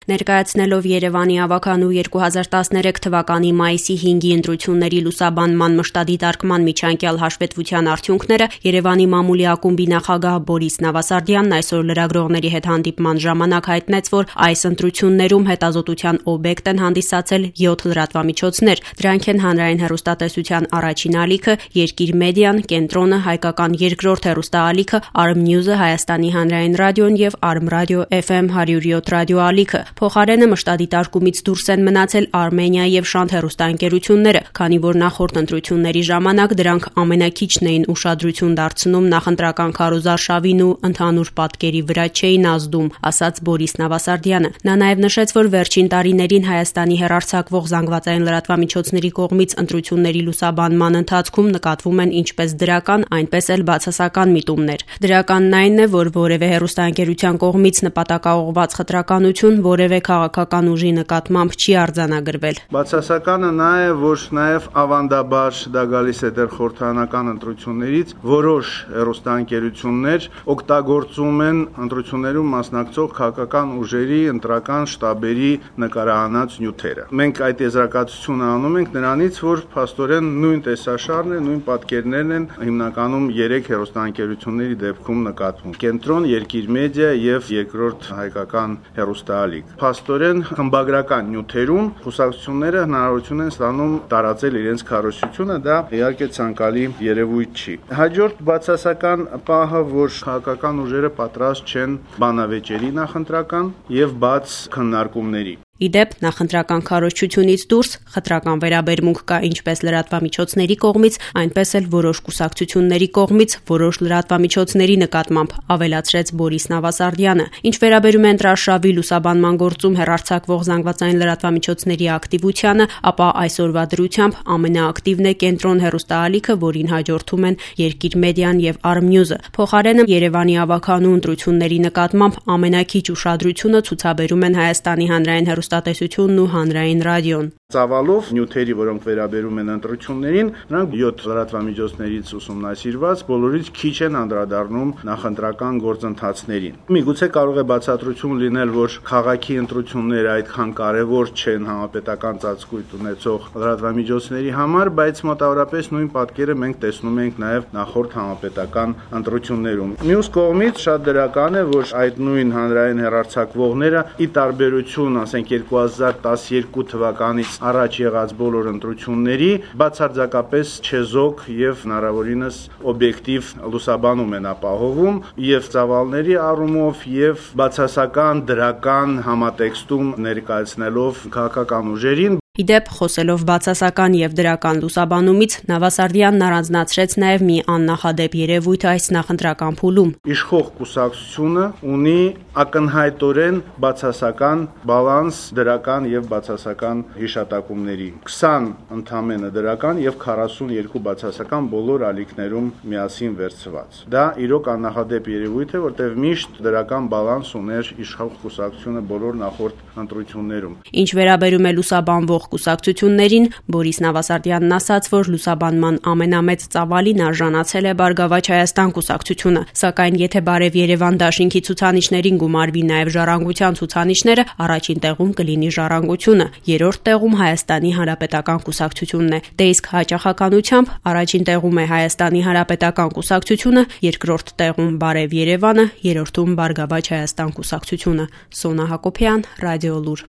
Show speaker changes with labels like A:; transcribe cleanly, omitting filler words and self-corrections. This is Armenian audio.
A: Ներկայացնելով Երևանի ավագանու 2013 թվականի մայիսի 5-ի ընտրությունների լուսաբանման մշտադիտարկման միջանկյալ հաշվետվության արդյունքները, Երևանի մամուլի ակումբի նախագահ Բորիս Նավասարդյանն այսօր լրագրողների հետ հանդիպման ժամանակ հայտնեց, որ այս ընտրություններում հետազոտության օբյեկտ են հանդիսացել 7 լրատվամիջոցներ. դրանք են հանրային հեռուստատեսության առաջին ալիքը, Երկիր մեդիան, Կենտրոնը, Հայկական երկրորդ հեռուստաալիքը, Arm-News-ը, Հայաստանի հանրային ռադիոն եւ Arm-Radio FM 107 ռադիոալիքը։ Փոխարենը մշտադիտարկումից դուրս են մնացել Արմենիա եւ Շանթ հեռուստաընկերությունները, քանի որ նախորդ ընտրությունների ժամանակ դրանք ամենաքիչն էին ուշադրություն դարձնում նախընտրական քարոզարշավին ու ընդհանուր պատկերի վրա չէին ազդում, ասաց Բորիս Նավասարդյանը։ Նա նաեւ նշեց, որ վերջին տարիներին Հայաստանի հեռարձակվող զանգվածային լրատվամիջոցների կողմից ընտրությունների լուսաբանման ընթացքում նկատվում են ինչպես դրական, այնպես էլ բացասական միտումներ։ Դրականն այն է, որ որևէ հեռուստաընկերության կողմից նպատակաուղղված խտրականություն որևէ քաղաքական ուժի նկատմամբ չի արձանագրվել։
B: Բացասականը նա է, որ նաև ավանդաբար դա գալիս է դեռ խորհրդարանական ընտրություններից, որոշ հեռուստաընկերություններ օգտագործում են ընտրություններում մասնակցող քաղաքական ուժերի ընտրական շտաբերի նկարահանած նյութերը։ Մենք այդ եզրակացությունը անում ենք նրանից, որ փաստորեն նույն տեսաշարն է, նույն պատկերներն են հիմնականում 3 հեռուստաընկերությունների դեպքում նկատվում. Կենտրոն, Երկիր մեդիա եւ երկրորդ հայկական հեռուստաալիք։ Փաստորեն խմբագրական նյութերում կուսակցությունները հնարավորություն են ստանում տարածել իրենց քարոզությունը, դա իհարկե ցանկալի երևույթ չի։ Հաջորդ բացասական պահը, որ քաղաքական ուժերը պատրաստ չեն բանավեճերի նախընտրական եւ բաց քննարկումների։
A: Իդեպ, նախընտրական քարոզչությունից դուրս խտրական վերաբերմունք կա ինչպես լրատվամիջոցների կողմից, այնպես էլ որոշ կուսակցությունների կողմից որոշ լրատվամիջոցների նկատմամբ, ավելացրեց Բորիս Նավասարդյանը։ Ինչ վերաբերում է ընտրարշավի լուսաբանման գործում հեռարձակվող զանգվածային լրատվամիջոցների ակտիվությանը, ապա այսօրվա դրությամբ ամենաակտիվն է Կենտրոն հեռուստաալիքը, որին հաջորդում են Երկիր մեդիան եւ Arm-News-ը։ Փոխարենը Երևանի ավագանու ընտրությունների նկատմամբ ամենաքիչ ուշադրությունը ցուցաբերում են Հայաստանի հանրային հեռուստատեսությունն ու հանրային ռադիոն։
B: Ծավալով նյութերի, որոնք վերաբերում են ընտրություններին, նրանք 7 լրատվամիջոցներից ուսումնասիրված բոլորից քիչ են անդրադառնում նախընտրական գործընթացներին։ Միգուցե կարող է բացատրություն լինել, որ քաղաքի ընտրությունները այդքան կարևոր չեն համապետական ծածկույթ ունեցող լրատվամիջոցների համար, բայց մոտավորապես նույն պատկերը մենք տեսնում ենք նաև նախորդ համապետական ընտրություններում։ Մյուս կողմից շատ դրական է, որ այդ նույն հանրային հեռարձակվողները ի տարբերություն, ասենք 2012 թվականից առաջ եղած բոլոր ընտրությունների բացարձակապես չեզոք եւ հնարավորինս օբյեկտիվ լուսաբանում են ապահովում եւ ծավալների առումով եւ բացասական դրական համատեքստում ներկայացնելով քաղաքական ուժերին։
A: Իդեպ, խոսելով բացասական եւ դրական լուսաբանումից, Նավասարդյանն առանձնացրեց նաեւ մի աննախադեպ երևույթ այս նախընտրական փուլում։
B: Իշխող կուսակցությունը ունի ակնհայտորեն բացասական բալանս դրական եւ բացասական հիշատակումների։ 20 ընդամենը դրական եւ 42 բացասական բոլոր ալիքներում միասին վերցված։ Դա իրոք աննախադեպ երևույթ է, որտեղ միշտ դրական բալանս ուներ իշխող կուսակցությունը բոլոր նախորդ ընտրություններում։
A: Ինչ վերաբերում է լուսաբանվող կուսակցություններին, Բորիս Նավասարդյանն ասաց, որ լուսաբանման ամենամեծ ծավալին արժանացել է Բարգավաճ Հայաստան կուսակցությունը, սակայն եթե Բարև Երևան դաշինքի ցուցանիշներին գումարվի նաև ժառանգության ցուցանիշները, առաջին տեղում կլինի ժառանգությունը, երրորդ տեղում Հայաստանի Հանրապետական կուսակցությունն է։ Դե իսկ հաճախականությամբ առաջին տեղում է Հայաստանի Հանրապետական կուսակցությունը, երկրորդ տեղում Բարև Երևանը, երրորդում Բարգավաճ Հայաստան կուսակցությունը։ Սոնա Հակոբյան, Ռադիոլուր։